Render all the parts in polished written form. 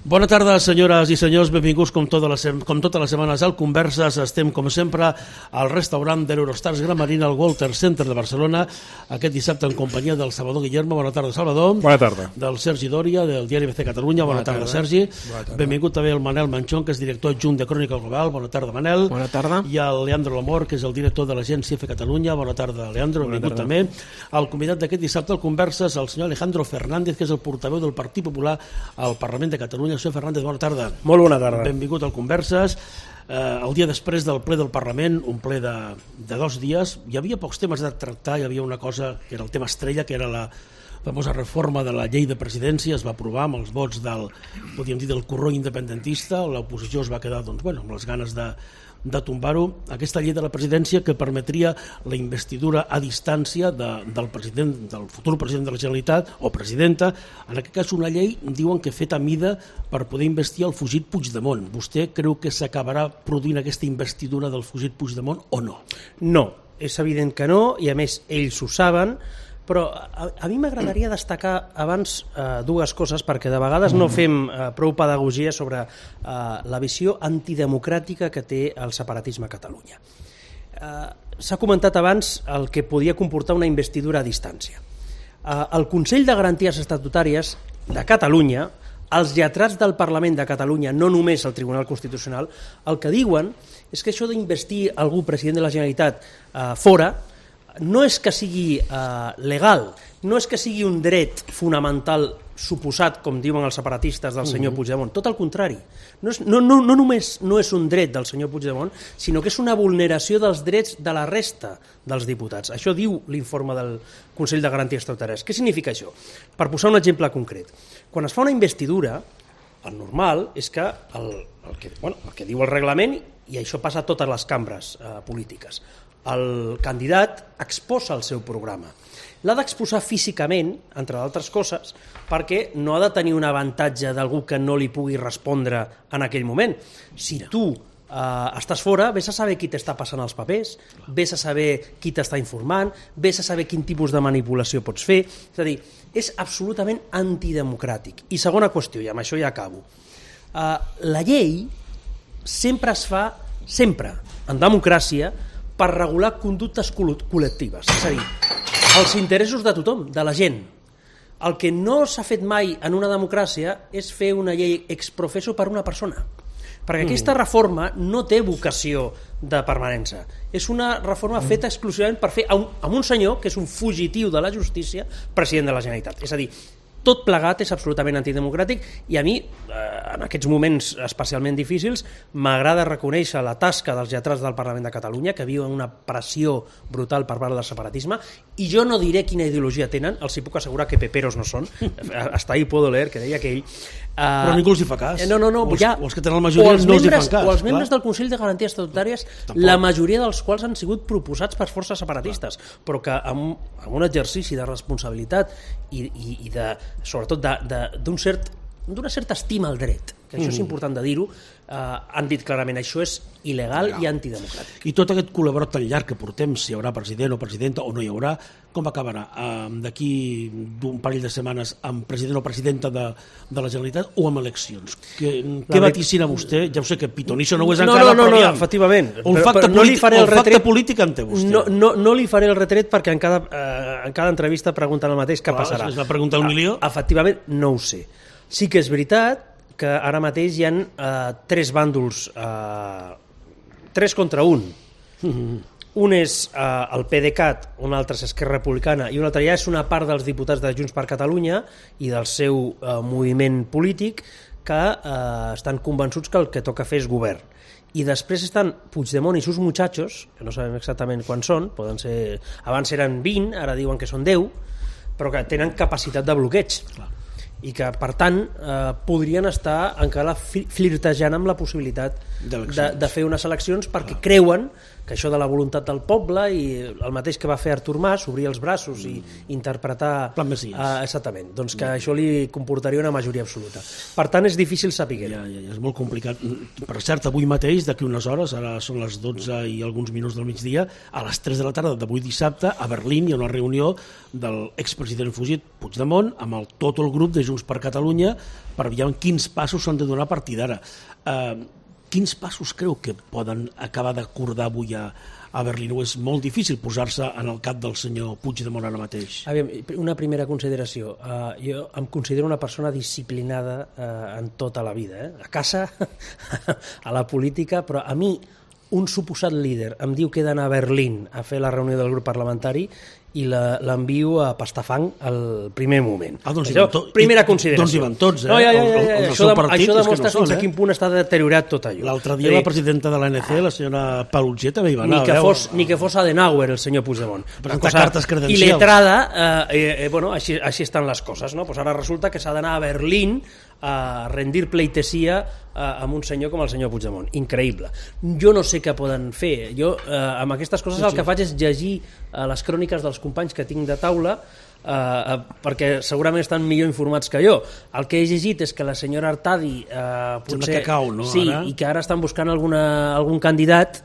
Bona tarda, senyores i senyors, benvinguts com totes les setmanes al Converses. Estem, com sempre, al restaurant de l'Eurostars Gran Marina, al Walter Center de Barcelona, aquest dissabte en companyia del Salvador Guillermo. Bona tarda, Salvador. Bona tarda. Del Sergi Dòria, del diari ABC Catalunya. Bona tarda, Sergi. Bona tarda. Benvingut també el Manel Manchón, que és director adjunt de Crònica Global. Bona tarda, Manel. Bona tarda. I el Leandro Lamor, que és el director de l'agència F Catalunya. Bona tarda, Leandro. Benvingut també. El convidat d'aquest dissabte al Converses, el senyor Alejandro Fernández, que és el portaveu del Partit Popular al Parlament de Catalunya. Senyor Fernández, bona tarda. Molt bona tarda. Benvingut al Converses. El dia després del ple del Parlament, un ple de 2 dies, hi havia pocs temes a tractar. Hi havia una cosa que era el tema estrella, que era la famosa reforma de la llei de presidència. Es va aprovar amb els vots podríem dir, del corró independentista. L'oposició es va quedar amb les ganes de tombar-ho. Aquesta llei de la presidència que permetria la investidura a distància del president, del futur president de la Generalitat o presidenta, en aquest cas una llei, diuen que feta a mida per poder investir el fugit Puigdemont. Vostè creu que s'acabarà produint aquesta investidura del fugit Puigdemont o no? No, és evident que no, i a més ells ho saben, però a mi m'agradaria destacar abans dues coses, perquè de vegades no fem prou pedagogia sobre la visió antidemocràtica que té el separatisme a Catalunya. S'ha comentat abans el que podia comportar una investidura a distància. El Consell de Garanties Estatutàries de Catalunya, els lletrats del Parlament de Catalunya, no només el Tribunal Constitucional, el que diuen és que això d'investir algú president de la Generalitat fora no és que sigui legal, no és que sigui un dret fonamental suposat, com diuen els separatistes, del senyor Puigdemont. Tot el contrari. No només no és un dret del senyor Puigdemont, sinó que és una vulneració dels drets de la resta dels diputats. Això diu l'informe del Consell de Garanties Estatutàries. Què significa això? Per posar un exemple concret. Quan es fa una investidura, el normal és que el que diu el reglament, i això passa a totes les cambres polítiques, el candidat exposa el seu programa. L'ha d'exposar físicament, entre d'altres coses, perquè no ha de tenir un avantatge d'algú que no li pugui respondre en aquell moment. Si tu estàs fora, vés a saber qui t'està passant els papers, vés a saber qui t'està informant, vés a saber quin tipus de manipulació pots fer. És a dir, és absolutament antidemocràtic. I segona qüestió, i amb això ja acabo. La llei sempre es fa, en democràcia, per regular conductes col·lectives, és a dir, els interessos de tothom, de la gent. El que no s'ha fet mai en una democràcia és fer una llei ex professo per una persona, perquè aquesta reforma no té vocació de permanència. És una reforma feta exclusivament per fer amb un senyor que és un fugitiu de la justícia president de la Generalitat. És a dir, tot plegat és absolutament antidemocràtic, i a mi, en aquests moments especialment difícils, m'agrada reconèixer la tasca dels lletrats del Parlament de Catalunya, que viuen una pressió brutal per part del separatisme, i jo no diré quina ideologia tenen, els hi puc assegurar que peperos no són, hasta ahí puedo leer, que deia aquell. Però ningú els hi fa cas. No, els que tenen la majoria no els hi fan cas. O els membres del Consell de Garanties Estatutàries, la majoria dels quals han sigut proposats per forces separatistes, però que amb un exercici de responsabilitat i sobretot d'una certa estima al dret, que això és important de dir-ho, han dit clarament això és il·legal i antidemocràtic. I tot aquest col·laborat tan llarg que portem, si hi haurà president o presidenta o no hi haurà, com acabarà? D'aquí d'un parell de setmanes amb president o presidenta de la Generalitat o amb eleccions? Què vaticina vostè? Ja ho sé que pitonisso no ho és encara, no, efectivament. Un facte polític en té vostè. No li faré el retret perquè en cada entrevista pregunten el mateix, què passarà. És la pregunta del milió? Efectivament, no ho sé. Sí que és veritat que ara mateix hi ha 3 bàndols, 3 contra 1. Un és el PDeCAT, un altre és Esquerra Republicana, i un altre ja és una part dels diputats de Junts per Catalunya i del seu moviment polític que estan convençuts que el que toca fer és govern. I després estan Puigdemont i sus muchachos, que no sabem exactament quan són, poden ser, abans eren 20, ara diuen que són 10, però que tenen capacitat de bloqueig. Clar. I que, per tant, podrien estar encara flirtejant amb la possibilitat de fer unes eleccions perquè creuen que això de la voluntat del poble i el mateix que va fer Artur Mas, obrir els braços i interpretar... Plan Messies. Exactament, doncs que això li comportaria una majoria absoluta. Per tant, és difícil saber-ho. Ja, és molt complicat. Per cert, avui mateix, d'aquí unes hores, ara són les 12 i alguns minuts del migdia, a les 3 de la tarda d'avui dissabte, a Berlín hi ha una reunió de l'expresident fugit Puigdemont amb tot el grup de Junts per Catalunya per veure quins passos s'han de donar a partir d'ara. Quins passos creu que poden acabar d'acordar avui a Berlín? O és molt difícil posar-se en el cap del senyor Puigdemont ara mateix? Una primera consideració. Jo em considero una persona disciplinada en tota la vida, a casa, a la política, però a mi un suposat líder em diu que he d'anar a Berlín a fer la reunió del grup parlamentari i l'envio a pastar fang al primer moment. Doncs primera consideració. Doncs hi van tots, Això demostra fins a quin punt està deteriorat tot allò. L'altre dia la presidenta de l'ANC, la senyora Paluzie, també hi va anar. Ni que fos Adenauer, el senyor Puigdemont. Presentar cartes credencials. I letrada, així estan les coses, no? Ara resulta que s'ha d'anar a Berlín a rendir pleitesia amb un senyor com el senyor Puigdemont. Increïble. Jo no sé què poden fer. Jo, amb aquestes coses, el que faig és llegir les cròniques dels companys que tinc de taula, perquè segurament estan millor informats que jo. El que he llegit és que la senyora Artadi potser... Sí, i que ara estan buscant algun candidat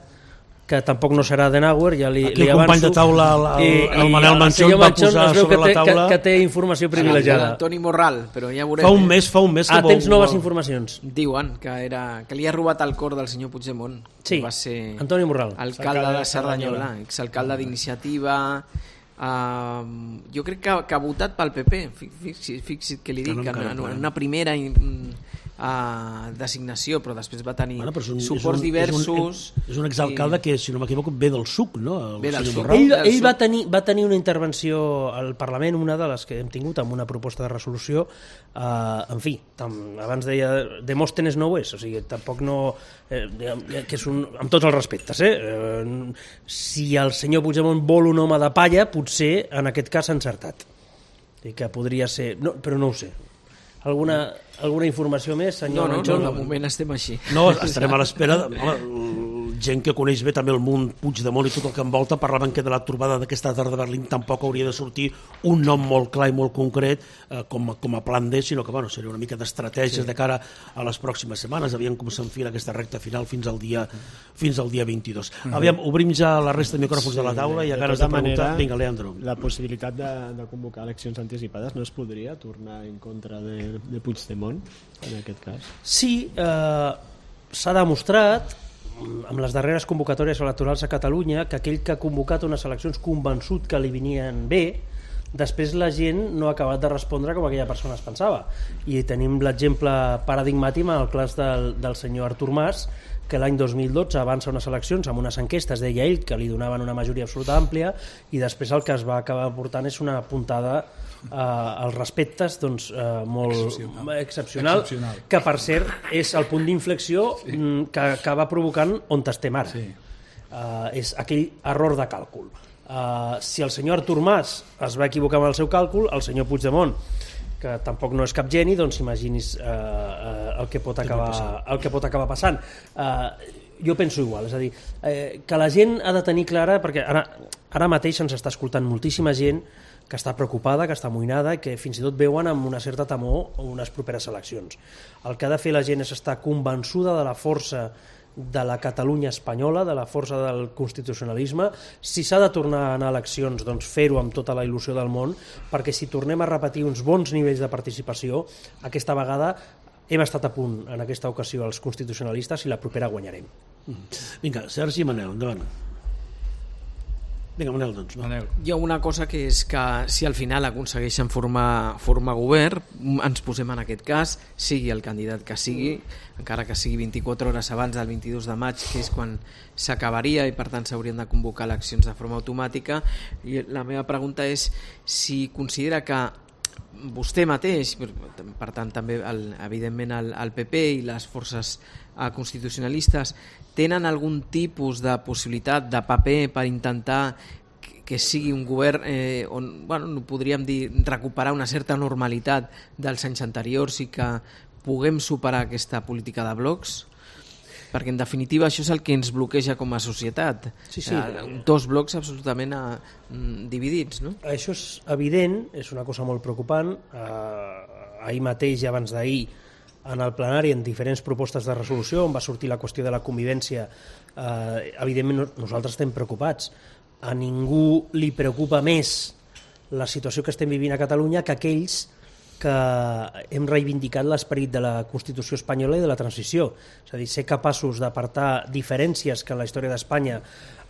que tampoc no serà Adenauer, ja li avanço. Aquí el company de taula, el Manel Manchón, va posar sobre la taula... que té informació privilegiada. Antoni Morral, però ja veurem. Fa un mes que tens noves informacions. Diuen que li ha robat el cor del senyor Puigdemont. Sí, va ser Antoni Morral. Alcalde de Cerdanyola, exalcalde d'Iniciativa... jo crec que ha votat pel PP. Fixi't que li dic, en una primera designació, però després va tenir suports diversos. És un exalcalde que, si no m'equivoco, ve del SUC, no? Ell va tenir una intervenció al Parlament, una de les que hem tingut, amb una proposta de resolució, en fi, abans deia Demòstenes no ho és, o sigui, tampoc no... que és amb tots els respectes, si el senyor Puigdemont vol un home de palla, potser en aquest cas s'ha encertat, i que podria ser... però no ho sé. Alguna informació més, senyor Manchón? No, de moment estem així. No, estarem a l'espera. Gent que coneix bé també el món Puigdemont i tot el que envolta parlaven que de la trobada d'aquesta tarda a Berlín tampoc hauria de sortir un nom molt clar i molt concret com a plan D, sinó que seria una mica d'estratègies de cara a les pròximes setmanes. Aviam com s'enfila aquesta recta final fins al dia 22. Aviam, obrim ja la resta de micròfons de la taula i a ganes de preguntar. Vinga, Leandro. La possibilitat de convocar eleccions anticipades no es podria tornar en contra de Puigdemont, en aquest cas? Sí, s'ha demostrat amb les darreres convocatòries electorals a Catalunya que aquell que ha convocat unes eleccions convençut que li venien bé, després la gent no ha acabat de respondre com aquella persona es pensava. I tenim l'exemple paradigmàtic en el cas del senyor Artur Mas, que l'any 2012 avança unes eleccions amb unes enquestes, deia ell, que li donaven una majoria absoluta àmplia, i després el que es va acabar portant és una puntada als respectes molt excepcional, que per cert és el punt d'inflexió que va provocant on estem ara. És aquell error de càlcul. Si el senyor Artur Mas es va equivocar amb el seu càlcul, el senyor Puigdemont, que tampoc no és cap geni, doncs imaginis el que pot acabar passant. Jo penso igual, és a dir, que la gent ha de tenir clara, perquè ara mateix ens està escoltant moltíssima gent que està preocupada, que està amoïnada, que fins i tot veuen amb una certa temor unes properes eleccions. El que ha de fer la gent és estar convençuda de la força de la Catalunya espanyola, de la força del constitucionalisme. Si s'ha de tornar a anar a eleccions, doncs fer-ho amb tota la il·lusió del món, perquè si tornem a repetir uns bons nivells de participació, aquesta vegada hem estat a punt en aquesta ocasió els constitucionalistes i la propera guanyarem. Vinga, Sergi i Manel, endavant. Vinga, Manel, doncs. Hi ha una cosa que és que si al final aconsegueixen formar govern, ens posem en aquest cas, sigui el candidat que sigui, encara que sigui 24 hores abans del 22 de maig, que és quan s'acabaria i per tant s'haurien de convocar eleccions de forma automàtica. I la meva pregunta és si considera que vostè mateix, per tant també evidentment el PP i les forces constitucionalistes tenen algun tipus de possibilitat de paper per intentar que sigui un govern on podríem dir recuperar una certa normalitat dels anys anteriors i que puguem superar aquesta política de blocs? Perquè en definitiva això és el que ens bloqueja com a societat. Dos blocs absolutament dividits, no? Això és evident, és una cosa molt preocupant. Ahir mateix i abans d'ahir en el plenari en diferents propostes de resolució on va sortir la qüestió de la convivència, evidentment nosaltres estem preocupats. A ningú li preocupa més la situació que estem vivint a Catalunya que aquells que hem reivindicat l'esperit de la Constitució espanyola i de la transició. És a dir, ser capaços d'apartar diferències que en la història d'Espanya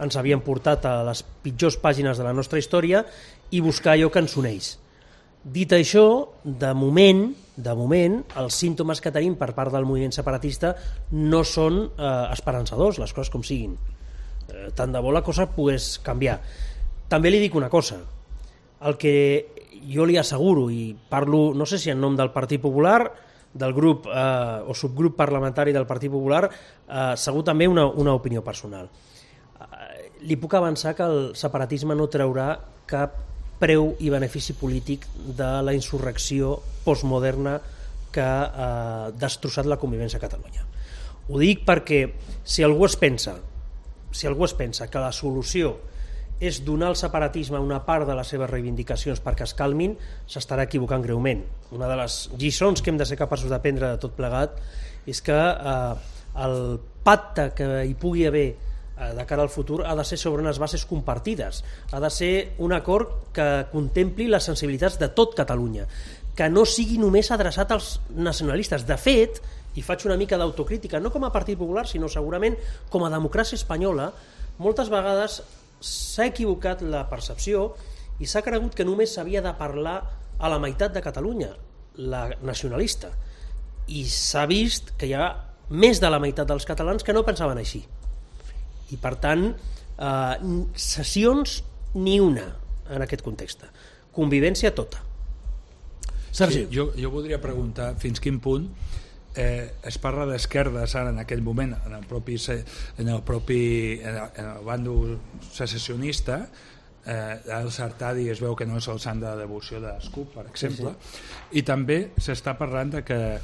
ens havien portat a les pitjors pàgines de la nostra història i buscar allò que ens uneix. Dit això, de moment, els símptomes que tenim per part del moviment separatista no són esperançadors, les coses com siguin. Tant de bo la cosa pogués canviar. També li dic una cosa, el que jo li asseguro, i parlo no sé si en nom del Partit Popular, del grup o subgrup parlamentari del Partit Popular, segur també una opinió personal. Li puc avançar que el separatisme no traurà cap preu i benefici polític de la insurrecció postmoderna que ha destrossat la convivència a Catalunya. Ho dic perquè si algú es pensa que la solució és donar al separatisme una part de les seves reivindicacions perquè es calmin, s'estarà equivocant greument. Una de les lliçons que hem de ser capaços d'aprendre de tot plegat és que el pacte que hi pugui haver de cara al futur ha de ser sobre unes bases compartides, ha de ser un acord que contempli les sensibilitats de tot Catalunya, que no sigui només adreçat als nacionalistes. De fet, i faig una mica d'autocrítica, no com a Partit Popular, sinó segurament com a democràcia espanyola, moltes vegades s'ha equivocat la percepció i s'ha cregut que només s'havia de parlar a la meitat de Catalunya, la nacionalista, i s'ha vist que hi ha més de la meitat dels catalans que no pensaven així. I per tant, sessions ni una en aquest context. Convivència tota. Sergi. Sí, jo voldria preguntar fins quin punt es parla d'esquerdes ara en aquell moment en el bàndol secessionista. El Sartadi es veu que no és el sant de la devoció de l'ESCUP, per exemple, i també s'està parlant de que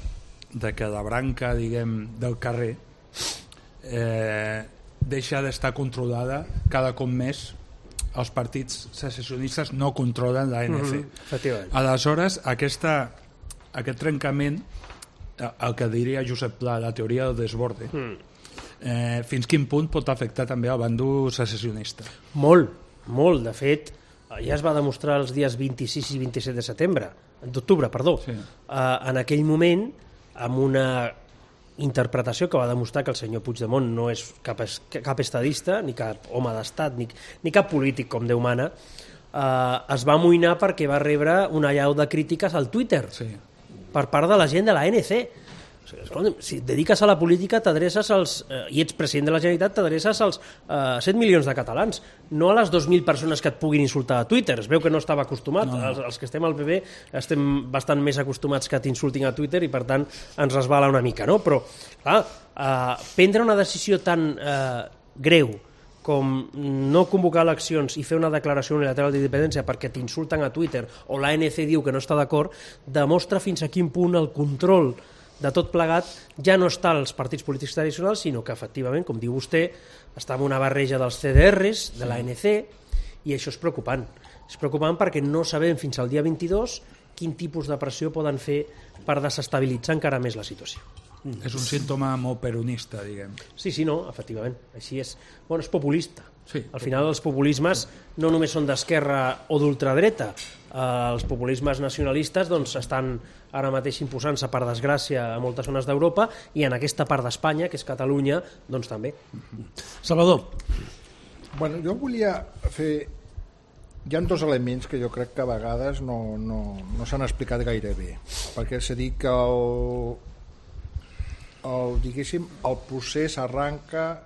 la branca, diguem, del carrer deixa d'estar controlada cada cop més. Els partits secessionistes no controlen l'ANC. Aleshores, aquest trencament, el que diria Josep Pla, la teoria del desborde, fins quin punt pot afectar també el bàndol secessionista? Molt. De fet, ja es va demostrar els dies 26 i 27 d'octubre, en aquell moment, amb una interpretació que va demostrar que el senyor Puigdemont no és cap estadista, ni cap home d'estat, ni cap polític com Déu mana, es va amoïnar perquè va rebre una allau de crítiques al Twitter per part de la gent de l'ANC. Si et dediques a la política i ets president de la Generalitat, t'adreces als 7 milions de catalans, no a les 2.000 persones que et puguin insultar a Twitter. Es veu que no estava acostumat. Els que estem al PP estem bastant més acostumats que t'insultin a Twitter i per tant ens resbala una mica, no? Però clar, prendre una decisió tan greu com no convocar eleccions i fer una declaració unilateral d'independència perquè t'insulten a Twitter o l'ANC diu que no està d'acord, demostra fins a quin punt el control de tot plegat ja no està als partits polítics tradicionals, sinó que efectivament, com diu vostè, està en una barreja dels CDRs, de l'ANC, i això és preocupant. És preocupant perquè no sabem fins al dia 22 quin tipus de pressió poden fer per desestabilitzar encara més la situació. És un símptoma molt peronista, diguem. Sí, no, efectivament, així és. Bueno, és populista. Sí. Al final els populismes no només són d'esquerra o d'ultradreta, els populismes nacionalistes estan ara mateix imposant-se per desgràcia a moltes zones d'Europa i en aquesta part d'Espanya, que és Catalunya, també. Salvador. Bueno, jo volia fer... Hi ha dos elements que jo crec que a vegades no s'han explicat gaire bé, perquè s'ha dit que el procés arranca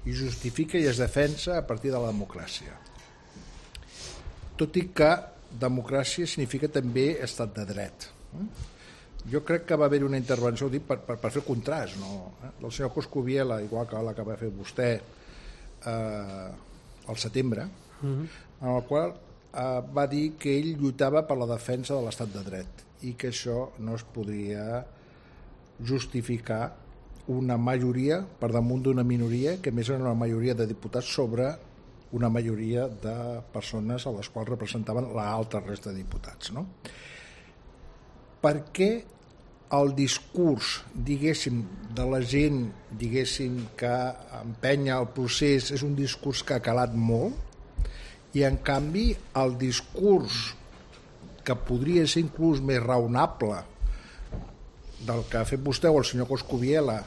i justifica i es defensa a partir de la democràcia. Tot i que democràcia significa també estat de dret. Jo crec que va haver una intervenció, ho dic per fer el contrast, del senyor Coscubiela, igual que la que va fer vostè al setembre, en el qual va dir que ell lluitava per la defensa de l'estat de dret i que això no es podria justificar una majoria per damunt d'una minoria, que més era una majoria de diputats sobre una majoria de persones a les quals representaven l'altra resta de diputats, no? Per què el discurs, diguéssim, de la gent, diguéssim, que empenya el procés és un discurs que ha calat molt i en canvi el discurs que podria ser inclús més raonable del que ha fet vostè o el senyor Coscubiela,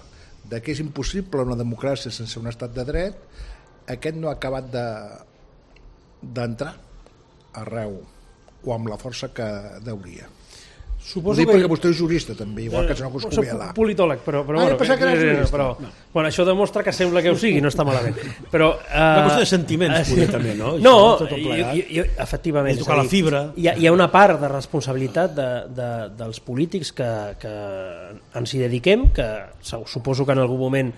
de que és impossible una democràcia sense un estat de dret, aquest no ha acabat d'entrar arreu o amb la força que deuria. Ho dic perquè vostè és jurista també, igual que el senyor Coscubiela. Soc politòleg, però bueno, això demostra que sembla que ho sigui, no està malament. Però una qüestió de sentiments, poder, també, no? No, efectivament. És tocar la fibra. Hi ha una part de responsabilitat dels polítics que ens hi dediquem, que suposo que en algun moment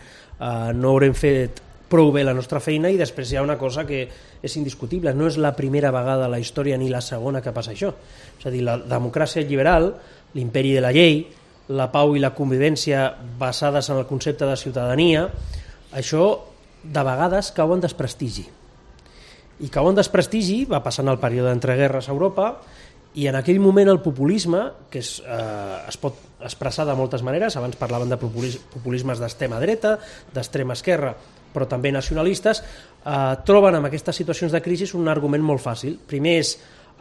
no haurem fet prou bé la nostra feina, i després hi ha una cosa que és indiscutible, no és la primera vegada a la història ni la segona que passa això. És a dir, la democràcia liberal, l'imperi de la llei, la pau i la convivència basades en el concepte de ciutadania, això de vegades cau en desprestigi. I cau en desprestigi, va passant el període d'entreguerres a Europa, i en aquell moment el populisme, que es pot expressar de moltes maneres, abans parlaven de populismes d'extrema dreta, d'extrema esquerra, però també nacionalistes, troben en aquestes situacions de crisi un argument molt fàcil. Primer és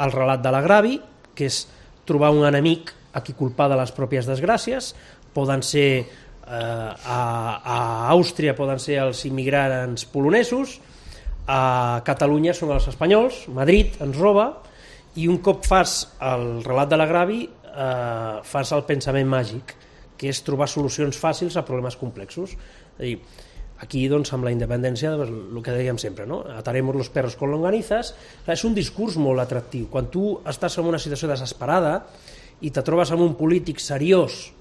el relat de l'agravi, que és trobar un enemic a qui culpar de les pròpies desgràcies. Poden ser a Àustria, poden ser els immigrants polonesos, a Catalunya són els espanyols, Madrid ens roba, i un cop fas el relat de l'agravi fas el pensament màgic, que és trobar solucions fàcils a problemes complexos. És a dir, aquí, doncs, amb la independència, el que dèiem sempre, no? Ataremos los perros con longanizas. És un discurs molt atractiu. Quan tu estàs en una situació desesperada i te trobes amb un polític seriós,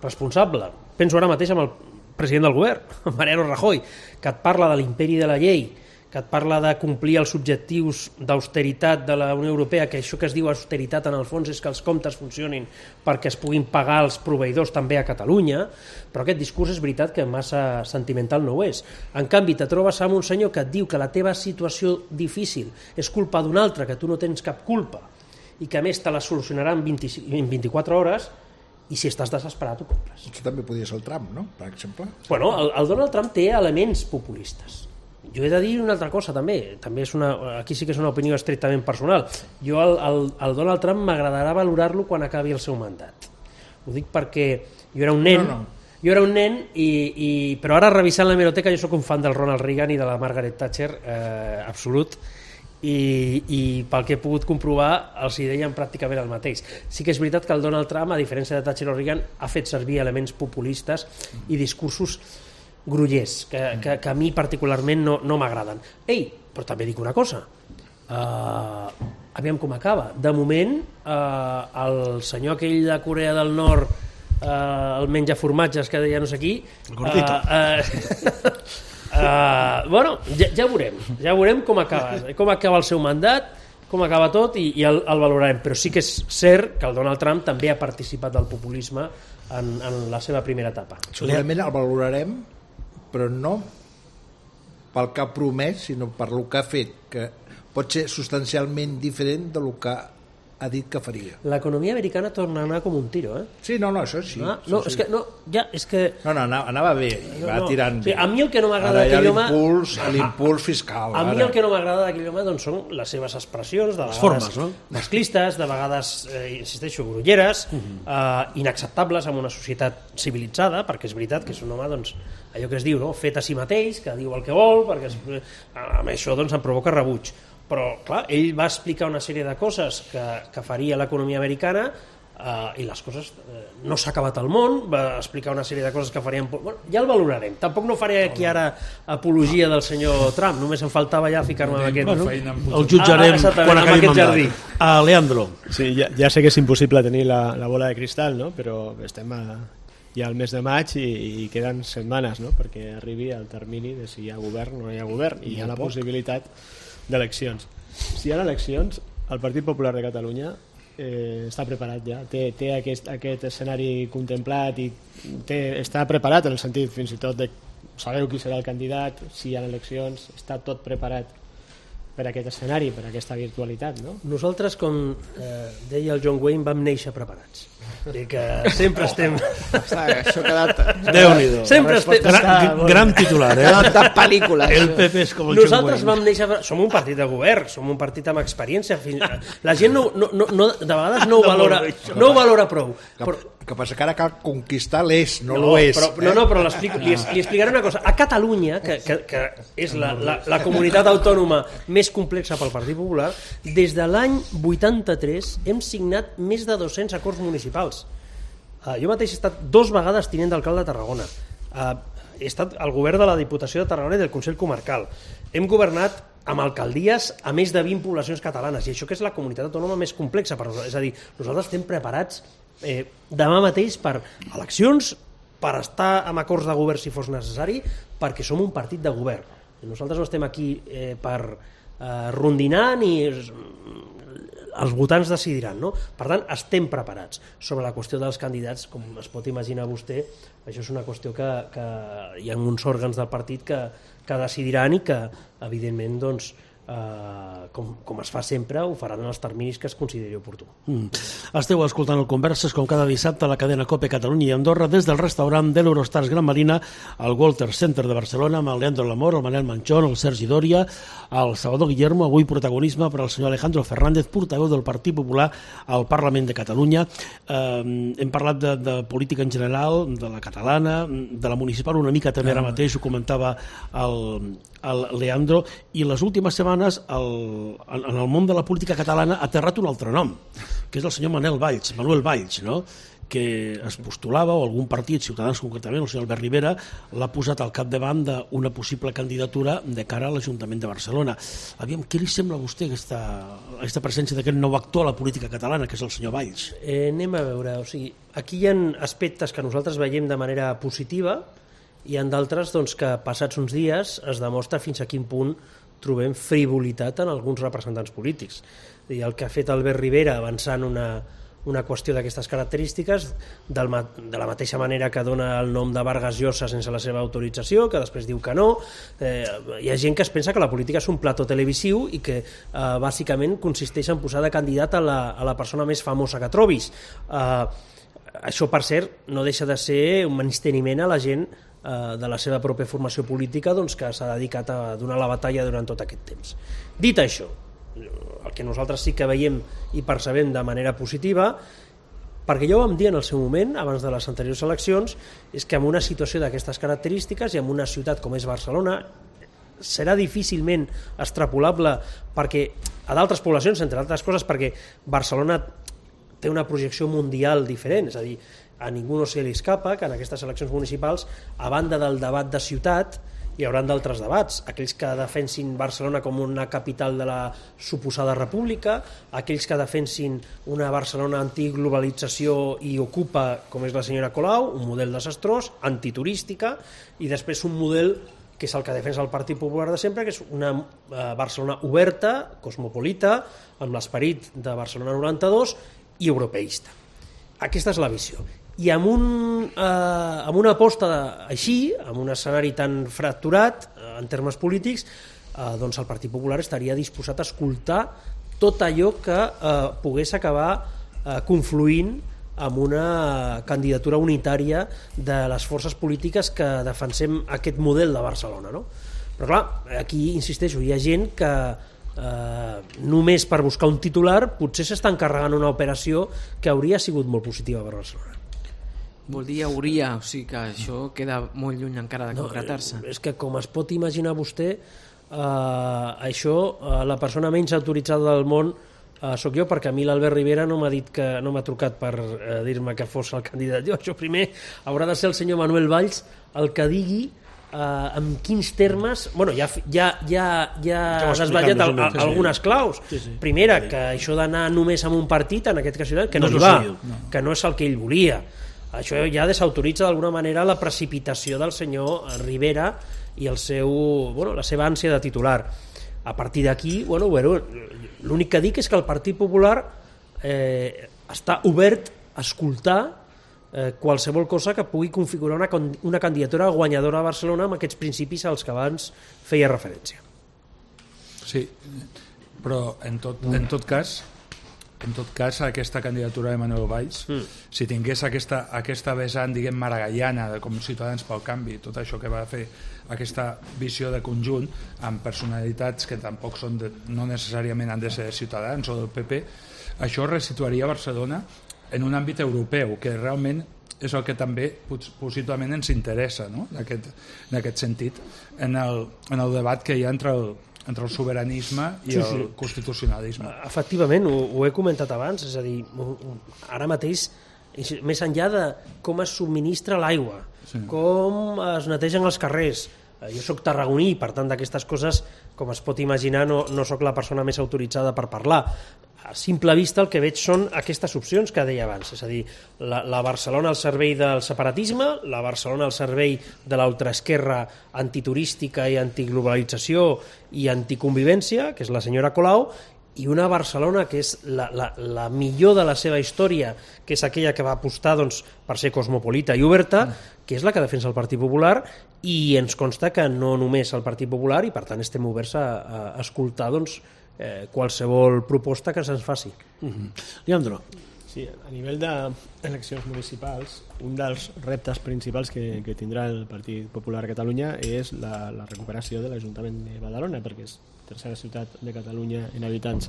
responsable, penso ara mateix amb el president del govern, Mariano Rajoy, que et parla de l'imperi de la llei, que et parla de complir els objectius d'austeritat de la Unió Europea, que això que es diu austeritat en el fons és que els comptes funcionin perquè es puguin pagar els proveïdors també a Catalunya, però aquest discurs és veritat que massa sentimental no ho és. En canvi, te trobes amb un senyor que et diu que la teva situació difícil és culpa d'un altre, que tu no tens cap culpa, i que a més te la solucionarà en 24 hores, i si estàs desesperat ho compres. Això també podria ser el Trump, no?, per exemple. Bueno, el Donald Trump té elements populistes. Jo he de dir una altra cosa també és aquí sí que és una opinió estrictament personal. Jo el Donald Trump m'agradarà valorar-lo quan acabi el seu mandat. Ho dic perquè jo era un nen, però ara revisant l'hemeroteca jo sóc un fan del Ronald Reagan i de la Margaret Thatcher absolut, i pel que he pogut comprovar els hi deien pràcticament el mateix. Sí que és veritat que el Donald Trump, a diferència de Thatcher o Reagan, ha fet servir elements populistes i discursos grollers, que a mi particularment no m'agraden. Però també dic una cosa, aviam com acaba. De moment, el senyor aquell de Corea del Nord, el menjaformatges que deia no sé qui, bueno, ja veurem com acaba el seu mandat, com acaba tot, i el valorarem. Però sí que és cert que el Donald Trump també ha participat del populisme en la seva primera etapa. Segurament el valorarem, però no pel que ha promès, sinó per el que ha fet, que pot ser substancialment diferent del que ha dit que faria. L'economia americana torna a anar com un tiro, Sí, això sí. Anava bé, va tirant bé. A mi el que no m'agrada d'aquell home... L'impuls fiscal. A mi el que no m'agrada d'aquell home doncs, són les seves expressions, de vegades masclistes, de vegades, insisteixo, grolleres, inacceptables en una societat civilitzada, perquè és veritat que és un home, doncs, allò que es diu, fet a si mateix, que diu el que vol, perquè amb això em provoca rebuig. Però, clar, ell va explicar una sèrie de coses que faria l'economia americana i les coses... no s'ha acabat el món, va explicar una sèrie de coses que farien... Bueno, ja el valorarem. Tampoc no faré aquí ara apologia del senyor Trump, només em faltava ja ficar-me amb aquest... El jutjarem quan acabi el mandat. Leandro. Sí, ja sé que és impossible tenir la bola de cristal, no? Però estem ja al mes de maig i queden setmanes, no?, perquè arribi el termini de si hi ha govern o no hi ha govern, i hi ha la possibilitat d'eleccions. Si hi ha eleccions, el Partit Popular de Catalunya està preparat ja, té aquest escenari contemplat i està preparat en el sentit fins i tot de sabeu qui serà el candidat, si hi ha eleccions, està tot preparat per aquest escenari, per aquesta virtualitat, no? Nosaltres, com deia el John Wayne, vam néixer preparats. I que sempre estem... Això ha quedat... Déu-n'hi-do. Sempre estem... Gran titular, Ha quedat de pel·lícula. El PP és com el John Nosaltres Wayne. vam néixer... Som un partit de govern, som un partit amb experiència. La gent de vegades no ho valora prou. Que passa que ara cal conquistar l'és, no l'oest. Però li explicaré una cosa. A Catalunya, que és la comunitat autònoma més complexa pel Partit Popular, des de l'any 83 hem signat més de 200 acords municipals. Jo mateix he estat 2 vegades tinent d'alcalde de Tarragona. He estat al govern de la Diputació de Tarragona i del Consell Comarcal. Hem governat amb alcaldies a més de 20 poblacions catalanes, i això que és la comunitat autònoma més complexa. És a dir, nosaltres estem preparats demà mateix per eleccions, per estar amb acords de govern si fos necessari, perquè som un partit de govern. Nosaltres no estem aquí per rondinar ni els votants decidiran, no? Per tant, estem preparats. Sobre la qüestió dels candidats, com es pot imaginar vostè, això és una qüestió que hi ha uns òrgans del partit que decidiran i que, evidentment, doncs, com es fa sempre, ho faran en els terminis que es consideri oportú. Esteu escoltant el Converses com cada dissabte a la cadena COPE Catalunya i Andorra des del restaurant de l'Eurostars Gran Marina al Walter Center de Barcelona amb el Leandro Lamor, el Manel Manchón, el Sergi Dòria, el Salvador Guillermo, avui protagonisme per al senyor Alejandro Fernández, portaveu del Partit Popular al Parlament de Catalunya. Hem parlat de política en general, de la catalana, de la municipal una mica també ara mateix, ho comentava el Leandro, i les últimes setmanes en el món de la política catalana ha aterrat un altre nom, que és el senyor Manuel Valls, no? Que es postulava, o algun partit, Ciutadans concretament, el senyor Albert Rivera, l'ha posat al capdavant d'una possible candidatura de cara a l'Ajuntament de Barcelona. Aviam, què li sembla a vostè aquesta presència d'aquest nou actor a la política catalana, que és el senyor Valls? Anem a veure, o sigui, aquí hi ha aspectes que nosaltres veiem de manera positiva, i en d'altres doncs, que passats uns dies es demostra fins a quin punt trobem frivolitat en alguns representants polítics. El que ha fet Albert Rivera avançant una qüestió d'aquestes característiques, de la mateixa manera que dona el nom de Vargas Llosa sense la seva autorització, que després diu que no. Hi ha gent que es pensa que la política és un plató televisiu i que bàsicament consisteix en posar de candidat a la persona més famosa que trobis. Això, per cert, no deixa de ser un menysteniment a la gent de la seva pròpia formació política, doncs, que s'ha dedicat a donar la batalla durant tot aquest temps. Dit això, el que nosaltres sí que veiem i percebem de manera positiva, perquè ja ho vam dir en el seu moment, abans de les anteriors eleccions, és que en una situació d'aquestes característiques i en una ciutat com és Barcelona serà difícilment extrapolable perquè a d'altres poblacions, entre altres coses perquè Barcelona té una projecció mundial diferent, és a dir, a ningú no se li escapa que en aquestes eleccions municipals, a banda del debat de ciutat, hi haurà d'altres debats, aquells que defensin Barcelona com una capital de la suposada república, aquells que defensin una Barcelona antiglobalització i ocupa, com és la senyora Colau, un model desastrós, antiturística, i després un model que és el que defensa el Partit Popular de sempre, que és una Barcelona oberta, cosmopolita, amb l'esperit de Barcelona 92 i europeista. Aquesta és la visió. I amb una aposta així, amb un escenari tan fracturat en termes polítics, doncs el Partit Popular estaria disposat a escoltar tot allò que pogués acabar confluint amb una candidatura unitària de les forces polítiques que defensem aquest model de Barcelona, no? Però clar, aquí insisteixo, hi ha gent que només per buscar un titular potser s'està encarregant una operació que hauria sigut molt positiva per Barcelona. Vol dir hauria, o sigui que això queda molt lluny encara de concretar-se. És que com es pot imaginar vostè, això, la persona menys autoritzada del món sóc jo, perquè a mi l'Albert Rivera no m'ha trucat per dir-me que fos el candidat. Això primer haurà de ser el senyor Manuel Valls el que digui en quins termes... Bueno, ja has desvetllat algunes claus. Primera, que això d'anar només amb un partit, en aquest cas que no hi va, que no és el que ell volia. Això ja desautoritza d'alguna manera la precipitació del senyor Rivera i la seva ànsia de titular. A partir d'aquí, l'únic que dic és que el Partit Popular està obert a escoltar qualsevol cosa que pugui configurar una candidatura guanyadora a Barcelona amb aquests principis als que abans feia referència. Sí, però en tot cas aquesta candidatura de Manuel Valls, si tingués aquesta vessant, diguem, maragallana, com Ciutadans pel Canvi, tot això que va fer, aquesta visió de conjunt, amb personalitats que tampoc són no necessàriament han de ser Ciutadans o del PP, això resituaria Barcelona en un àmbit europeu, que realment és el que també possiblement ens interessa, no? En aquest sentit, en el debat que hi ha entre el sobiranisme i el constitucionalisme. Efectivament, ho he comentat abans, és a dir, ara mateix, més enllà de com es subministra l'aigua, com es netegen els carrers, jo soc tarragoní, per tant d'aquestes coses, com es pot imaginar, no soc la persona més autoritzada per parlar. A simple vista el que veig són aquestes opcions que deia abans, és a dir, la Barcelona al servei del separatisme, la Barcelona al servei de l'ultraesquerra antiturística i antiglobalització i anticonvivència, que és la senyora Colau, i una Barcelona que és la millor de la seva història, que és aquella que va apostar per ser cosmopolita i oberta, que és la que defensa el Partit Popular, i ens consta que no només el Partit Popular, i per tant estem oberts a escoltar qualsevol proposta que se'ns faci. Leandro. Sí, a nivell d'eleccions municipals, un dels reptes principals que tindrà el Partit Popular a Catalunya és la recuperació de l'Ajuntament de Badalona, perquè és la tercera ciutat de Catalunya en habitants.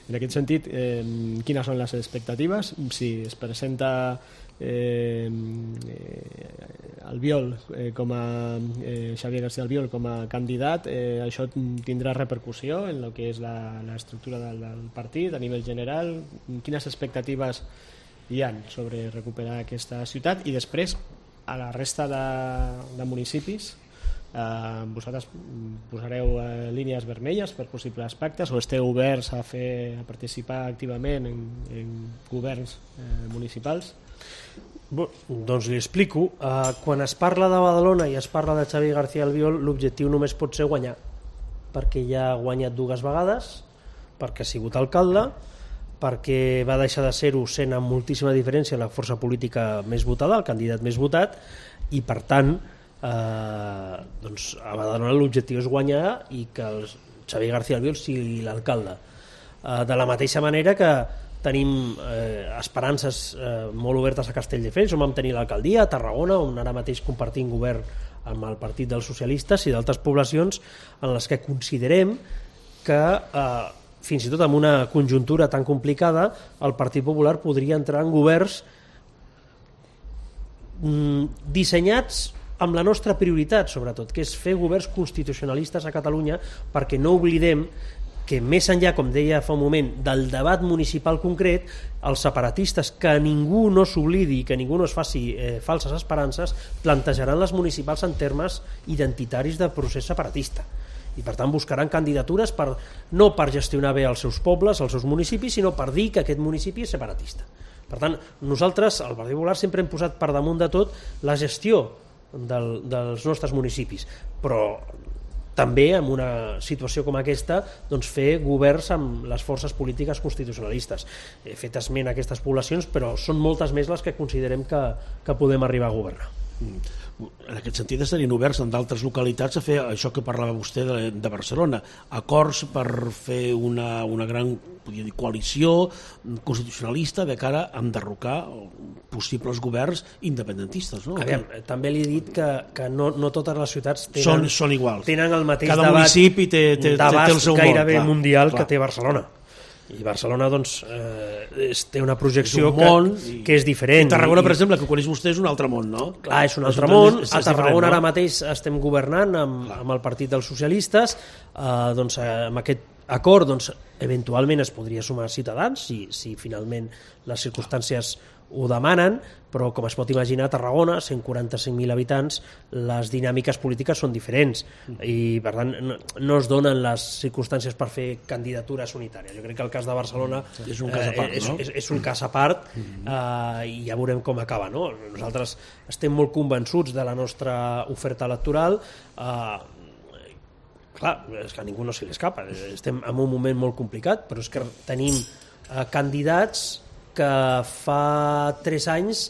En aquest sentit, quines són les expectatives? Si es presenta Albiol Xavier García Albiol com a candidat, això tindrà repercussió en el que és l'estructura del partit a nivell general. Quines expectatives hi ha sobre recuperar aquesta ciutat? I després, a la resta de municipis, vosaltres posareu línies vermelles per possibles pactes o esteu oberts a participar activament en governs municipals? Doncs li explico. Quan es parla de Badalona i es parla de Xavier García Albiol, l'objectiu només pot ser guanyar, perquè ja ha guanyat 2 vegades, perquè ha sigut alcalde, perquè va deixar de ser-ho sent amb moltíssima diferència la força política més votada, el candidat més votat, i per tant a Badalona l'objectiu és guanyar i que el Xavier García Albiol sigui l'alcalde. De la mateixa manera que tenim esperances molt obertes a Castelldefels, on vam tenir l'alcaldia, a Tarragona, on ara mateix compartim govern amb el Partit dels Socialistes, i d'altres poblacions en les que considerem que fins i tot en una conjuntura tan complicada el Partit Popular podria entrar en governs dissenyats amb la nostra prioritat, sobretot, que és fer governs constitucionalistes a Catalunya, perquè no oblidem que més enllà, com deia fa un moment, del debat municipal concret, els separatistes, que ningú no s'oblidi i que ningú no es faci falses esperances, plantejaran les municipals en termes identitaris de procés separatista. I per tant buscaran candidatures no per gestionar bé els seus pobles, els seus municipis, sinó per dir que aquest municipi és separatista. Per tant, nosaltres, al Partit Popular, sempre hem posat per damunt de tot la gestió dels nostres municipis, però també en una situació com aquesta fer governs amb les forces polítiques constitucionalistes. He fet esment a aquestes poblacions, però són moltes més les que considerem que podem arribar a governar. En aquest sentit estarien oberts en d'altres localitats a fer això que parlava vostè de Barcelona, acords per fer una gran, podria dir, coalició constitucionalista de cara a enderrocar possibles governs independentistes, no? També li he dit que no totes les ciutats són iguals. Tenen el mateix cada municipi té el seu món, gairebé mundial que té Barcelona. I Barcelona té una projecció que és diferent. I Tarragona, per exemple, que coneix vostè, és un altre món, no? Clar, és un altre món. A Tarragona ara mateix estem governant amb el Partit dels Socialistes, amb aquest acord eventualment es podria sumar Ciutadans si finalment les circumstàncies ho demanen, però com es pot imaginar, a Tarragona, 145.000 habitants, les dinàmiques polítiques són diferents i per tant no es donen les circumstàncies per fer candidatures unitàries. Jo crec que el cas de Barcelona és un cas a part, no? És un cas a part i ja veurem com acaba, no? Nosaltres estem molt convençuts de la nostra oferta electoral. Clar, és que a ningú no se li escapa, estem en un moment molt complicat, però és que tenim candidats que fa 3 anys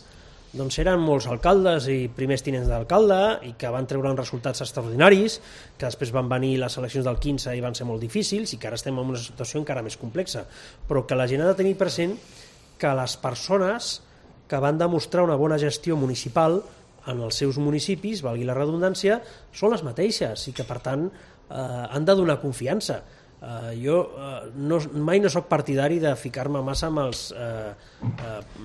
doncs eren molts alcaldes i primers tinents d'alcalde i que van treure uns resultats extraordinaris, que després van venir les eleccions del 15 i van ser molt difícils i que ara estem en una situació encara més complexa, però que la gent ha de tenir present que les persones que van demostrar una bona gestió municipal en els seus municipis, valgui la redundància, són les mateixes i que per tant han de donar confiança. Jo mai no soc partidari de ficar-me massa amb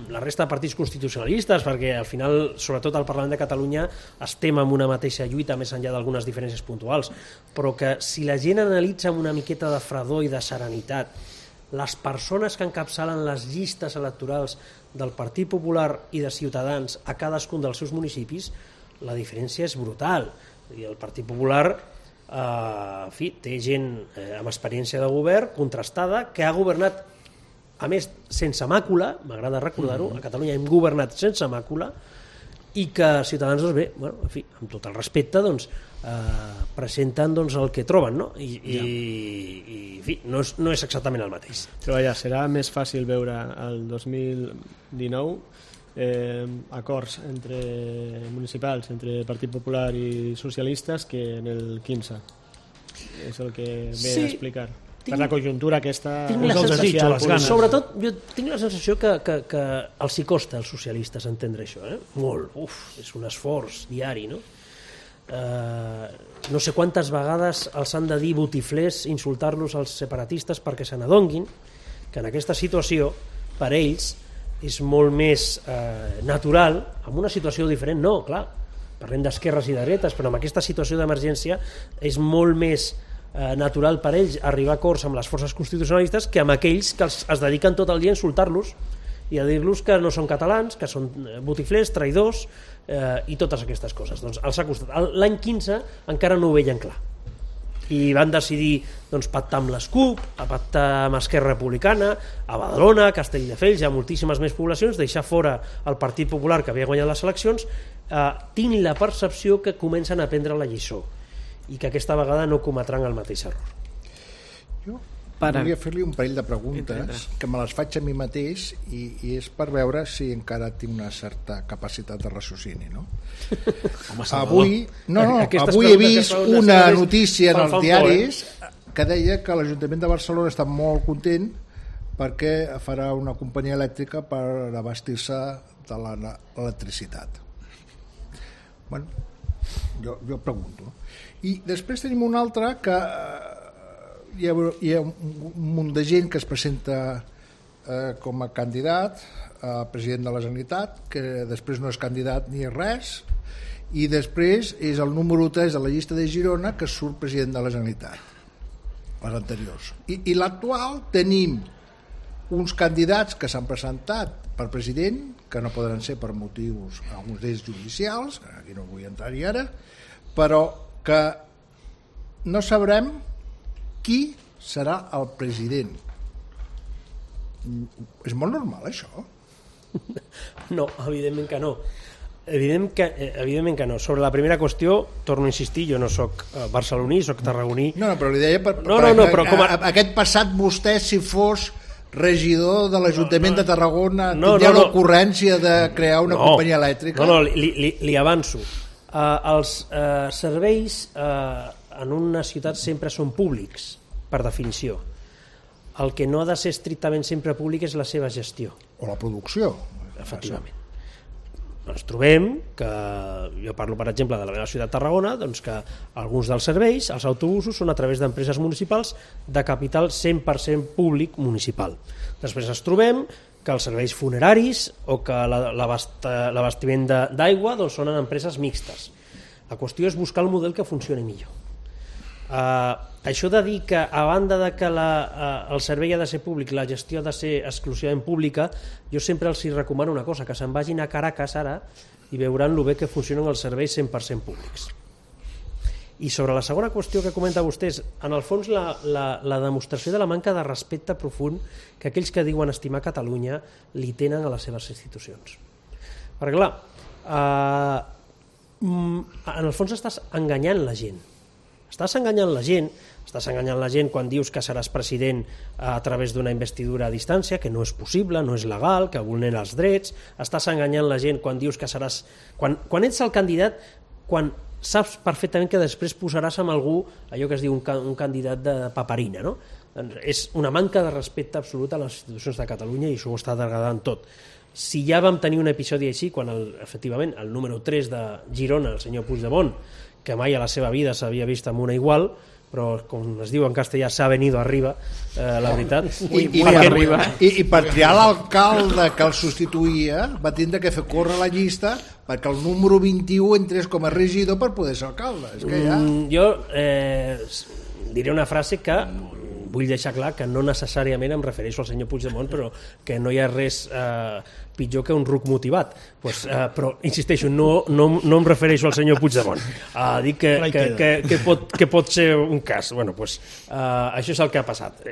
la resta de partits constitucionalistes, perquè al final, sobretot al Parlament de Catalunya, estem en una mateixa lluita més enllà d'algunes diferències puntuals, però que si la gent analitza amb una miqueta de fredor i de serenitat les persones que encapçalen les llistes electorals del Partit Popular i de Ciutadans a cadascun dels seus municipis, la diferència és brutal. I el Partit Popular en fi, té gent amb experiència de govern contrastada que ha governat, a més, sense màcula, m'agrada recordar-ho, a Catalunya hem governat sense màcula, i que Ciutadans, doncs bé, bueno, en fi, amb tot el respecte, doncs, presenten doncs, el que troben, no? I en fi, no és exactament el mateix. Però vaja, serà més fàcil veure el 2019 acords entre municipals, entre Partit Popular i socialistes que en el 15. És el que ve a explicar. Per la conjuntura aquesta... Tinc la sensació, les ganes. Sobretot, jo tinc la sensació que els hi costa als socialistes entendre això, molt. És un esforç diari, no? No sé quantes vegades els han de dir botiflers, insultar-los als separatistes perquè se n'adonguin que en aquesta situació, per ells, és molt més natural, en una situació diferent, no, clar, parlem d'esquerres i de dretes, però en aquesta situació d'emergència és molt més natural per ells arribar a acords amb les forces constitucionalistes que amb aquells que es dediquen tot el dia a insultar-los i a dir-los que no són catalans, que són botiflers, traïdors i totes aquestes coses. Doncs els ha costat. L'any 15 encara no ho veien clar i van decidir doncs, pactar amb les CUP, a pactar amb Esquerra Republicana, a Badalona, a Castelldefels, hi ha moltíssimes més poblacions, deixar fora el Partit Popular que havia guanyat les eleccions. Tinc la percepció que comencen a prendre la lliçó i que aquesta vegada no cometran el mateix error. Jo volia fer-li un parell de preguntes que me les faig a mi mateix i és per veure si encara tinc una certa capacitat de raciocini, no? Avui he vist una notícia en els diaris que deia que l'Ajuntament de Barcelona està molt content perquè farà una companyia elèctrica per abastir-se de l'electricitat. Bueno, jo pregunto. I després tenim una altra que hi ha un munt de gent que es presenta com a candidat a president de la Generalitat, que després no és candidat ni res, i després és el número 3 de la llista de Girona que surt president de la Generalitat, les anteriors. I l'actual tenim uns candidats que s'han presentat per president, que no podran ser per motius, alguns d'ells judicials, aquí no vull entrar-hi ara, però que no sabrem qui serà el president. És molt normal, això? No, evidentment que no. Evidentment que no. Sobre la primera qüestió, torno a insistir, jo no soc barceloní, soc tarragoní. No, però li deia però aquest passat vostè, si fos regidor de l'Ajuntament de Tarragona, tindria l'ocurrència de crear una companyia elèctrica? No, li avanço. Els serveis en una ciutat sempre són públics, per definició. El que no ha de ser estrictament sempre públic és la seva gestió. O la producció. Efectivament. Ens trobem que, jo parlo per exemple de la meva ciutat de Tarragona, doncs que alguns dels serveis, els autobusos, són a través d'empreses municipals de capital 100% públic municipal. Després ens trobem que els serveis funeraris o que l'abastiment d'aigua doncs són en empreses mixtes. La qüestió és buscar el model que funcioni millor. Això de dir que a banda de que el servei ha de ser públic, la gestió ha de ser exclusivament pública, jo sempre els recomano una cosa, que se'n vagin a Caracas ara i veuran lo bé que funcionen els serveis 100% públics. I sobre la segona qüestió que comenta vostès, en el fons la demostració de la manca de respecte profund que aquells que diuen estimar Catalunya li tenen a les seves institucions. Perquè clar, en el fons estàs enganyant la gent. Estàs enganyant la gent, quan dius que seràs president a través d'una investidura a distància, que no és possible, no és legal, que vulnera els drets. Estàs enganyant la gent quan dius que seràs... Quan ets el candidat, quan saps perfectament que després posaràs amb algú, allò que es diu un candidat de paperina, no? És una manca de respecte absolut a les institucions de Catalunya i això ho està degradant tot. Si ja vam tenir un episodi així, quan efectivament el número 3 de Girona, el senyor Puigdemont, que mai a la seva vida s'havia vist amb una igual, però com es diu en castellà s'ha venido arriba, la veritat. I per triar l'alcalde que el substituïa va tindre que fer córrer la llista perquè el número 21 entrés com a regidor per poder ser alcalde. És que ja... Jo diré una frase que vull deixar clar que no necessàriament em refereixo al senyor Puigdemont, però que no hi ha res pitjor que un ruc motivat. Però, insisteixo, no em refereixo al senyor Puigdemont. Dic que pot ser un cas. Això és el que ha passat.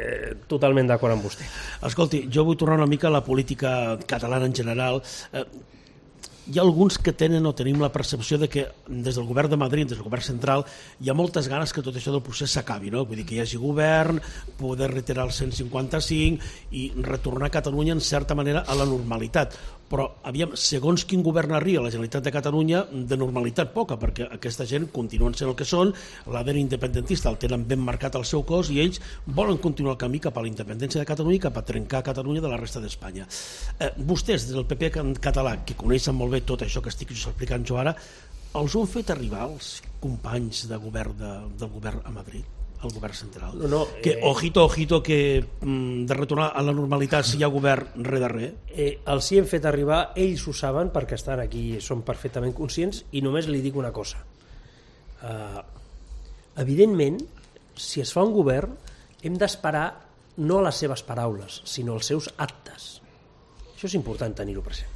Totalment d'acord amb vostè. Escolti, jo vull tornar una mica a la política catalana en general. Hi ha alguns que tenen o tenim la percepció de que des del govern de Madrid, des del govern central, hi ha moltes ganes que tot això del procés s'acabi, no? Vull dir que hi hagi govern, poder retirar el 155 i retornar a Catalunya en certa manera a la normalitat. Però, aviam, segons quin govern arriba a la Generalitat de Catalunya, de normalitat poca, perquè aquesta gent continuen sent el que són, l'ADN independentista el tenen ben marcat al seu cos i ells volen continuar el camí cap a la independència de Catalunya i cap a trencar Catalunya de la resta d'Espanya. Vostès, des del PP català, que coneixen molt bé tot això que estic explicant jo ara, els han fet arribar els companys de govern del govern a Madrid? El govern central. Que ojito, que de retornar a la normalitat si hi ha govern res de res. Els hi hem fet arribar, ells ho saben perquè estan aquí, són perfectament conscients, i només li dic una cosa. Evidentment, si es fa un govern, hem d'esperar no a les seves paraules, sinó als seus actes. Això és important tenir-ho present.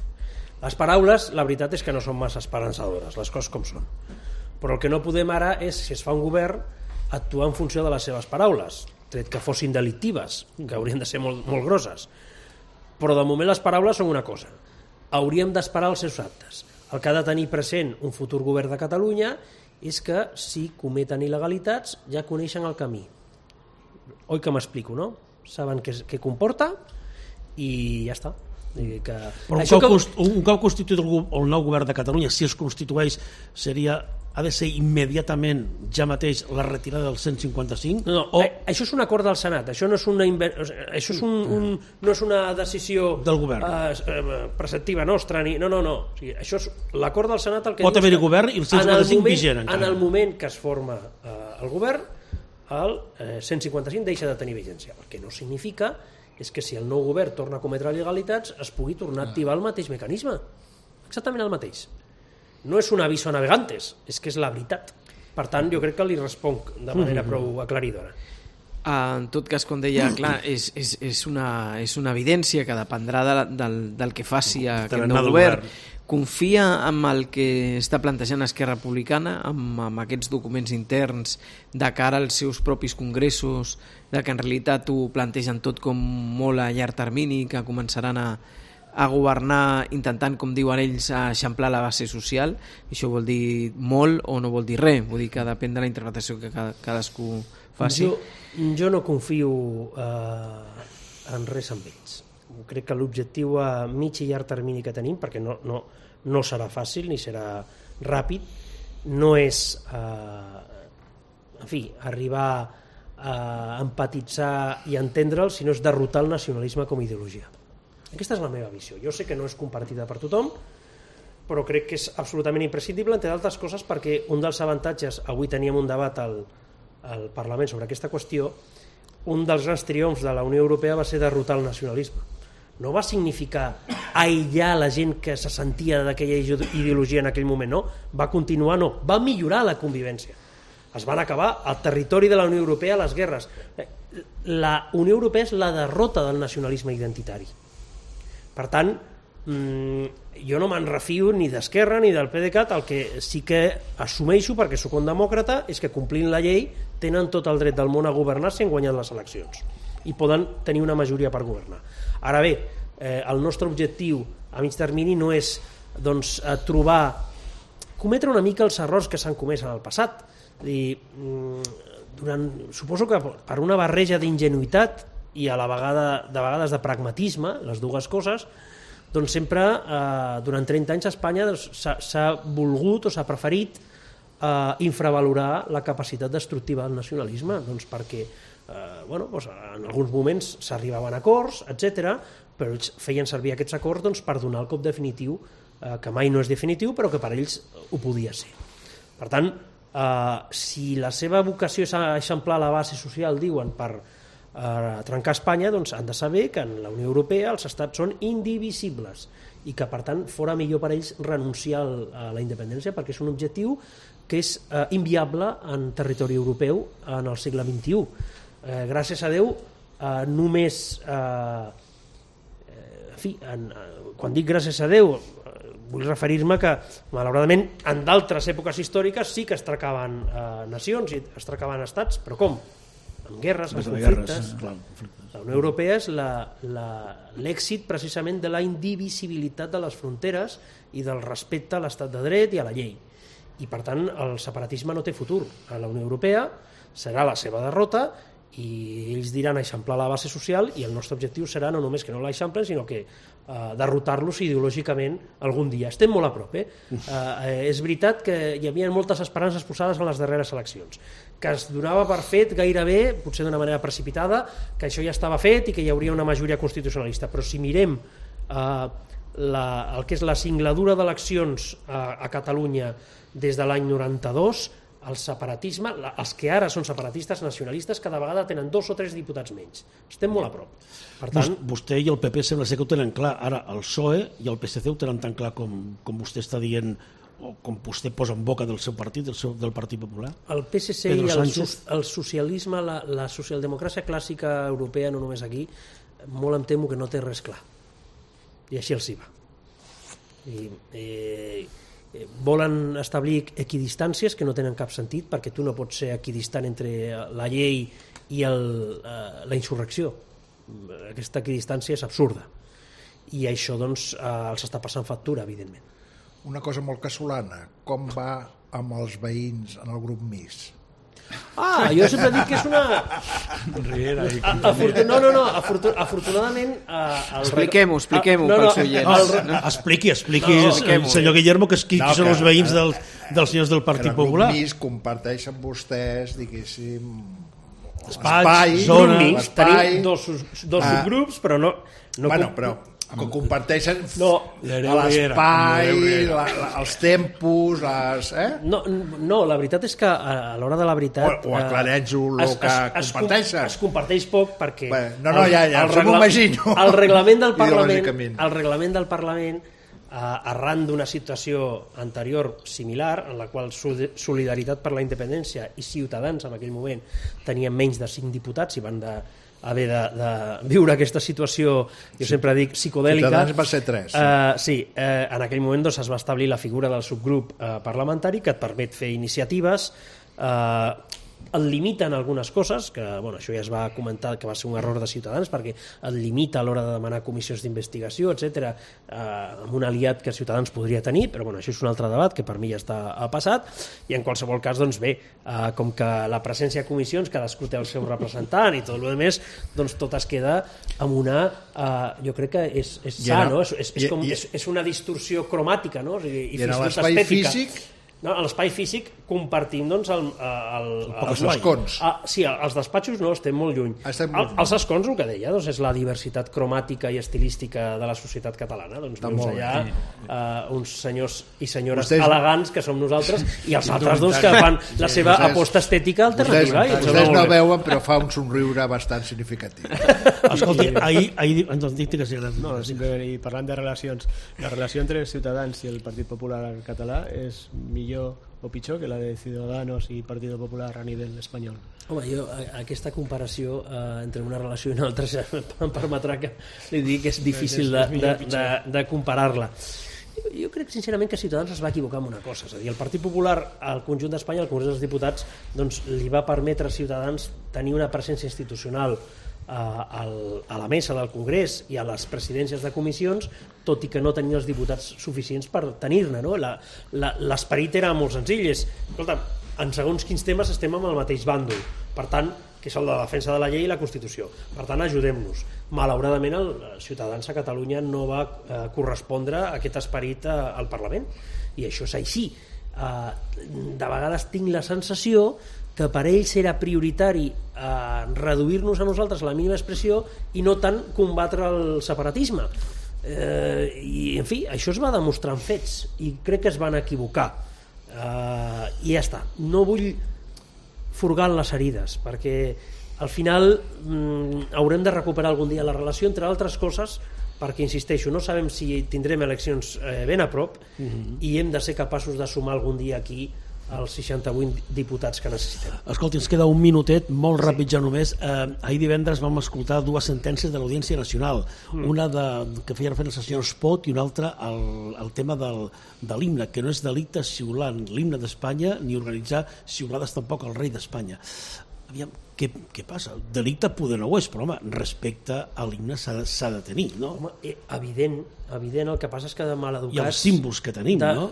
Les paraules, la veritat és que no són massa esperançadores, les coses com són. Però el que no podem ara és, si es fa un govern, actuar en funció de les seves paraules, tret que fossin delictives, que haurien de ser molt grosses. Però de moment les paraules són una cosa. Hauríem d'esperar els seus actes. El que ha de tenir present un futur govern de Catalunya és que si cometen il·legalitats ja coneixen el camí. Oi que m'explico, no? Saben què comporta i ja està. Però un cop constituït el nou govern de Catalunya, si es constitueix, ha de ser immediatament, ja mateix, la retirada del 155? No, això és un acord del Senat, això no és una decisió del govern preceptiva nostra, no. O sigui, això és l'acord del Senat el que pot haver-hi govern i el 155 vigent encara. En el moment que es forma el govern, el 155 deixa de tenir vigència, el que no significa és que si el nou govern torna a cometre il·legalitats es pugui tornar a activar el mateix mecanisme, exactament el mateix. No és un aviso a navegantes, és que és la veritat. Per tant, jo crec que li responc de manera prou aclaridora. En tot cas, com deia, clar, és una evidència que dependrà del que faci aquest nou govern. Confia en el que està plantejant Esquerra Republicana, amb aquests documents interns de cara als seus propis congressos, de que en realitat ho plantegen tot com molt a llarg termini, que començaran a governar intentant, com diuen ells, eixamplar la base social. Això vol dir molt o no vol dir res, vull dir que depèn de la interpretació que cadascú faci. Jo no confio en res amb ells. Crec que l'objectiu a mig i llarg termini que tenim, perquè no serà fàcil ni serà ràpid, no és arribar a empatitzar i entendre'l, sinó és derrotar el nacionalisme com a ideologia. Aquesta és la meva visió. Jo sé que no és compartida per tothom, però crec que és absolutament imprescindible, entre d'altres coses perquè un dels avantatges, avui teníem un debat al Parlament sobre aquesta qüestió, un dels grans triomfs de la Unió Europea va ser derrotar el nacionalisme. No va significar aïllar la gent que se sentia d'aquella ideologia en aquell moment, no. Va continuar, no. Va millorar la convivència. Es van acabar al territori de la Unió Europea les guerres. La Unió Europea és la derrota del nacionalisme identitari. Per tant, jo no me'n refio ni d'Esquerra ni del PDeCAT. El que sí que assumeixo, perquè sóc un demòcrata, és que complint la llei tenen tot el dret del món a governar si han guanyat les eleccions i poden tenir una majoria per governar. Ara bé, el nostre objectiu a mig termini no és trobar cometre una mica els errors que s'han comès en el passat. Suposo que per una barreja d'ingenuïtat i a la vegada de vegades de pragmatisme, les dues coses, doncs sempre durant 30 anys a Espanya s'ha volgut o s'ha preferit infravalorar la capacitat destructiva del nacionalisme, doncs perquè en alguns moments s'arribaven a acords, etc., però ells feien servir aquests acords per donar el cop definitiu, que mai no és definitiu, però que per ells ho podia ser. Per tant, si la seva vocació és eixamplar la base social, diuen, per trencar Espanya, doncs han de saber que en la Unió Europea els estats són indivisibles i que per tant fora millor per ells renunciar a la independència, perquè és un objectiu que és inviable en territori europeu en el segle XXI. Gràcies a Déu, només quan dic gràcies a Déu vull referir-me que malauradament en d'altres èpoques històriques sí que es trencaven nacions i es trencaven estats, però com? Amb guerres, amb conflictes. La Unió Europea és l'èxit precisament de la indivisibilitat de les fronteres i del respecte a l'estat de dret i a la llei. I per tant el separatisme no té futur a la Unió Europea, serà la seva derrota i ells diran eixamplar la base social i el nostre objectiu serà no només que no l'eixamplen sinó que derrotar-los ideològicament algun dia. Estem molt a prop. És veritat que hi havia moltes esperances posades en les darreres eleccions, que es donava per fet gairebé, potser d'una manera precipitada, que això ja estava fet i que hi hauria una majoria constitucionalista, però si mirem el que és la singladura d'eleccions a Catalunya des de l'any 92, el separatisme, els que ara són separatistes nacionalistes cada vegada tenen 2 o 3 diputats menys. Estem molt a prop. Per tant, vostè i el PP sembla ser que ho tenen clar. Ara el PSOE i el PSC ho tenen tan clar com vostè està dient o com vostè posa en boca del seu partit, del Partit Popular? El PSC i el socialisme, la socialdemocràcia clàssica europea, no només aquí, molt em temo que no té res clar. I així els hi va. Volen establir equidistàncies que no tenen cap sentit, perquè tu no pots ser equidistant entre la llei i la insurrecció. Aquesta equidistància és absurda i això doncs els està passant factura, evidentment. Una cosa molt casolana, com va amb els veïns en el grup MIS? Jo sempre dic que és una... Afortunadament... Expliquem-ho pels oients. Expliqui, senyor Guillermo, qui són els veïns dels senyors del Partit Popular. En el grup MIS comparteixen vostès, diguéssim, espai, zona... Tenim dos subgrups, però no... Bueno, però que comparteixen l'espai, els tempos, No, la veritat és que a l'hora de la veritat... O aclareix-ho el que comparteixen. Es comparteix poc perquè... Ja m'ho imagino. El reglament del Parlament, arran d'una situació anterior similar, en la qual Solidaritat per la Independència i Ciutadans en aquell moment tenien menys de 5 diputats i van haver de viure aquesta situació, jo sempre dic, psicodèlica. Ciutadans va ser 3. Sí, en aquell moment es va establir la figura del subgrup parlamentari que et permet fer iniciatives, et limiten algunes coses, que això ja es va comentar que va ser un error de Ciutadans perquè et limita a l'hora de demanar comissions d'investigació, etc., amb un aliat que Ciutadans podria tenir, però això és un altre debat que per mi ja està passat, i en qualsevol cas, com que la presència de comissions cadascú té el seu representant i tot el més, doncs tot es queda amb una... jo crec que és sa, no? És una distorsió cromàtica, no? I en l'espai físic... No, a l'espai físic compartim els escons. Sí, els despatxos no, estem molt lluny. Els escons, el que deia, és la diversitat cromàtica i estilística de la societat catalana. Doncs veus allà uns senyors i senyores elegants que som nosaltres i els altres que fan la seva aposta estètica alternativa. Vostès no veuen, però fa un somriure bastant significatiu. Escolti, ahir parlant de relacions, la relació entre Ciutadans i el Partit Popular català és millor o pitjor que la de Ciudadanos i Partido Popular a nivell espanyol? Home, jo aquesta comparació entre una relació i una altra em permetrà que li digui que és difícil de comparar-la. Jo crec sincerament que Ciutadans es va equivocar en una cosa, és a dir, el Partit Popular al conjunt d'Espanya, al Congrés dels Diputats, li va permetre a Ciutadans tenir una presència institucional a la mesa del Congrés i a les presidències de comissions, tot i que no tenia els diputats suficients per tenir-ne, no? L'esperit era molt senzill, escolta, en segons quins temes estem amb el mateix bàndol, per tant, que és el de la defensa de la llei i la Constitució, per tant ajudem-nos. Malauradament els ciutadans a Catalunya no va correspondre a aquest esperit al Parlament, i això és així. De vegades tinc la sensació que per ells era prioritari reduir-nos a nosaltres la mínima expressió i no tant combatre el separatisme, i en fi, això es va demostrar en fets i crec que es van equivocar, i ja està. No vull furgar en les herides perquè al final haurem de recuperar algun dia la relació, entre altres coses perquè, insisteixo, no sabem si tindrem eleccions ben a prop i hem de ser capaços de sumar algun dia aquí els 68 diputats que necessitem. Escolti, ens queda un minutet, molt ràpid ja només. Ahir divendres vam escoltar dues sentències de l'Audiència Nacional, una que feia referència al senyor Espot i una altra al tema de l'himne, que no és delicte xiular l'himne d'Espanya ni organitzar xiulades tampoc al rei d'Espanya. Aviam, què passa? Delicte poder no ho és, però home, respecte a l'himne s'ha de tenir, no? Home, evident, el que passa és que de maleducats... I els símbols que tenim, no?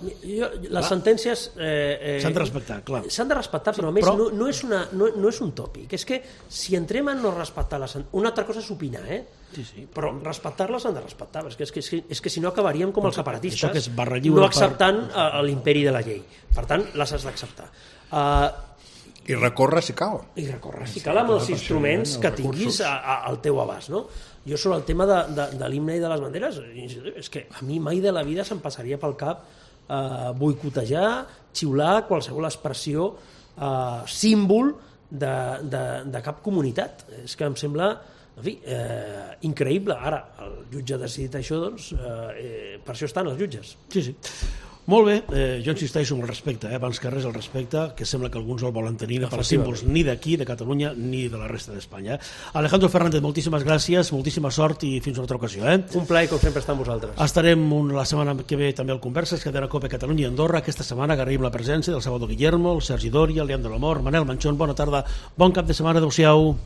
Les sentències... S'han de respectar, clar. S'han de respectar, però a més no és un tòpic. És que si entrem en no respectar les sentències... Una altra cosa és opinar, Sí. Però respectar-les s'han de respectar, és que si no acabaríem com els separatistes, això que és barra lliure no acceptant l'imperi de la llei. Per tant, les has d'acceptar. I recórrer si cal. I recórrer si cal amb els instruments que tinguis al teu abast, no? Jo sobre el tema de l'himne i de les banderes, és que a mi mai de la vida se'm passaria pel cap boicotejar, xiular qualsevol expressió, símbol de cap comunitat. És que em sembla, en fi, increïble. Ara, el jutge ha decidit això, doncs, per això estan els jutges. Sí. Molt bé, jo insisteixo en el respecte, abans que res el respecte, que sembla que alguns el volen tenir per símbols ni d'aquí, de Catalunya, ni de la resta d'Espanya. Alejandro Fernández, moltíssimes gràcies, moltíssima sort i fins a una altra ocasió. Un plaer, com sempre, estar amb vosaltres. Estarem la setmana que ve també al Converses, que tindrà Copa Catalunya i Andorra. Aquesta setmana agraïm la presència del Salvador Guillermo, el Sergi Doria, el Leandro Lamor, Manel Manchón, bona tarda, bon cap de setmana, adeu-siau.